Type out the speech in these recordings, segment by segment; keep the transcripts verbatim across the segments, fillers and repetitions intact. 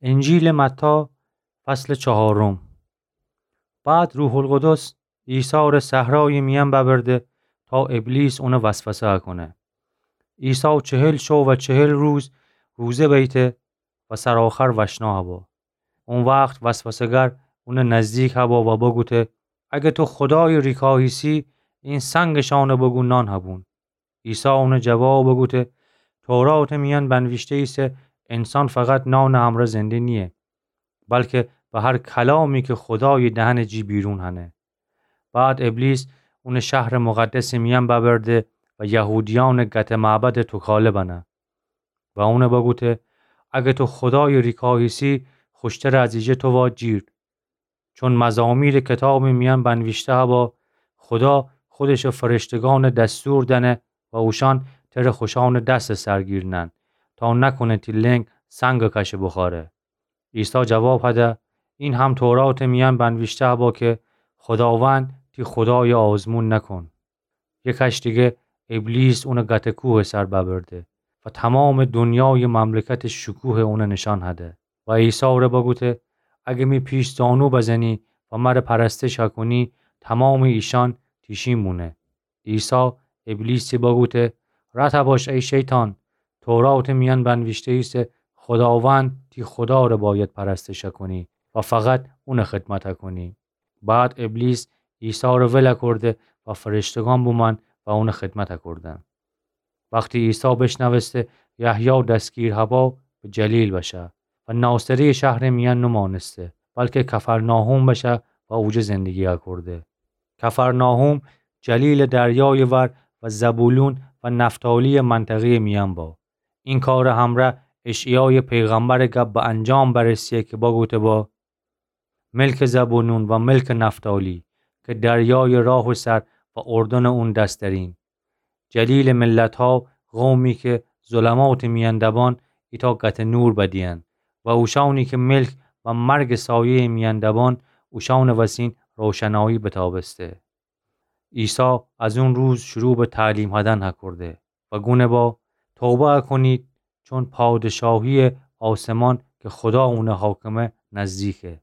انجیلٚ متی، فصلٚ چهارم. بعد روح‌القدس عیسی ره صحرایٚ میأن ببرده تا ابلیس اونَ وسوسه کونه. عیسی چهل شو و چهل روز روزه بیته و سرآخر وشنا هبا. او وخت وسوسه‌گر اونٚ نزدیک هبا و بگوته: اگه تو خودایٚ ریکا هیسی، این سنگشانَ بگو نان هبون. عیسی اونَ جواب بگوته: توراتٚ میأن بنویشته ایسه: انسان فقط نانٚ همرأ زنده نییه، بلکه به هر کلامی که خودایٚ دهنٚ جی بیرون هنه. بعد ابلیس اونَ شهرٚ مقدسٚ میأن ببرده و یهودیأنٚ گته معبدٚ توکاله بنه و اونَ بگوته: اگه تو خودایٚ ریکا هیسی، خوشترٚ از ایجه تو وا جیر. چون مزامیرٚ کتابٚ میأن بنویشته هبا: خودا خودشٚ فرشته‌گانَ دستور دأنه و اوشأن تره خوشأنٚ دستٚ سر گیرنن، تا نکونه تی لنگ سنگٚ کشه بوخوأره. عیسی جواب هده: این هم توراتٚ میأن بنویشته هبا که خوداوند تی خودایَ آزمون نکن. یه کش دیگه ابلیس اونَ گته کوهٚ سر ببرده و تومامٚ دونیایٚ مملکتٚ شکوه اونَ نشأن هده و عیسی ره بگوته: اگه می پیش‌زانو بزنی و مره پرستش هکونی، تومامٚ ایشأن تی شین بونه. عیسی ابلیسی بگوته: رد هباش ای شیطان، توراتٚ میأن بنویشته ایسه: خوداوند تی خودا ره باید پرستش هکونی و فقط اونَ خدمت هکونی. بعد ابلیس عیسی ره ول کرده و فرشته‌گان بومأن و اونَ خدمت کردن. وختی عیسی بشنوسته یحیی دستگیر هبا، به جلیل بشه و ناصره‌یٚ شهرٚ میأن نمانسته، بلکه کفرناحوم بشه و اوجه زندگی کرده. کفرناحوم جلیلٚ دریایٚ ور و زبولون و نفتالی‌یٚ منطقه‌یٚ میأن با. این کارٚ همرأ اشعیایٚ پیغمبرٚ گب به انجام برسه که بگوته با: ملکٚ زبولون و ملکٚ نفتالی، که دریایٚ راهٚ سر و اردنٚ اون دس درین. جلیلٚ ملت‌ها، قومی که ظلماتٚ میأن دبان، ایتأ گتٚ نور بدیئن و اوشأنی که ملک و مرگٚ سایه‌یٚ میأن دبان، اوشأنٚ وسین روشنایی بتابسته. عیسی از اون روز شروع به تعلیم هدن هکرده و گونه با: توبه هکنید، چون پادشاهیٚ آسمان که خودا اونٚ حاکمه نزدیکه.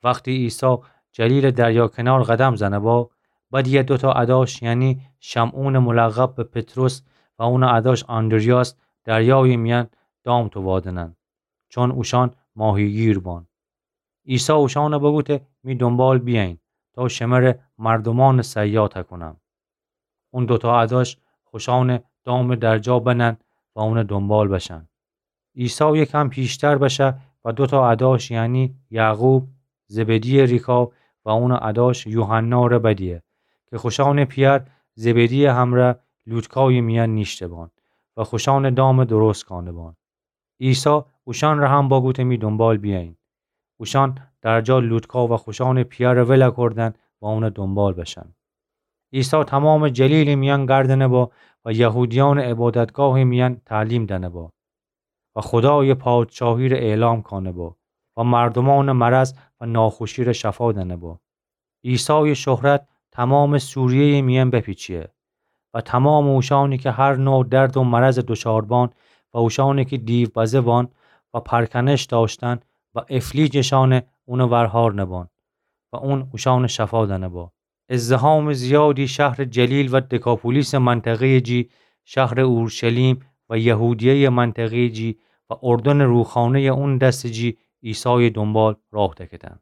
وختی عیسی جلیلٚ دریا کنار قدم زنه با، بدیه دوتا اداش، یعنی شمعونٚ ملقب به پطرس و اونٚ اداش آندریاس، دریایٚ میأن دام تووادنن، چون اوشأن ماهیگیر بان. عیسی اوشأنٚ بگوته: می دونبال بیأیین، تا شمره مردومأنٚ صیاد هکنم. اون دوتا اداش خوشأنٚ دامٚ درجا بنن و اونٚ دونبال بشن. عیسی یکم پیشتر بشه و دوتا اداش، یعنی یعقوب، زبدی‌یٚ ریکا، و اونٚ اداش یوحنا ره بدیه که خوشأنٚ پیأر زبدی‌یٚ همرأ لوتکایٚ میأن نیشته بان و خوشأنٚ دامٚ درست کانه بان. عیسی اوشأن ره هم بگوته: می دونبال بیأیین. اوشأن درجا لوتکا و خوشأنٚ پیأرٚ ول کردن و اونٚ دونبال بشن. عیسی تومامٚ جلیلٚ میأن گردنه با و یهودیأنٚ عبادتگاهٚ میأن تعلیم دنه با و خودایٚ پادشاهی ره اعلام کانه با و مردومأنٚ مرض و ناخوشی ره شفا دنه با. عیسایٚ شهرت تومامٚ سوریه‌یٚ میأن بپیچیه و تومامٚ اوشأنی که هر نوع درد و مرضٚ دوچار بان و اوشأنی که دیو بزه بان و پرکنش دأشتن و افلیجشأنٚ اونٚ ور هار نبان و اون اوشأنٚ شفا دنه با. ازدحامٚ زیادی شهرٚ جلیل و دکاپولیسٚ منطقه‌یٚ جی، شهرٚ اورشلیم و یهودیه‌یٚ منطقه‌یٚ جی و اردنٚ روخانه‌یٚ اون دسٚ جی عیسایٚ دونبال راه دکتن.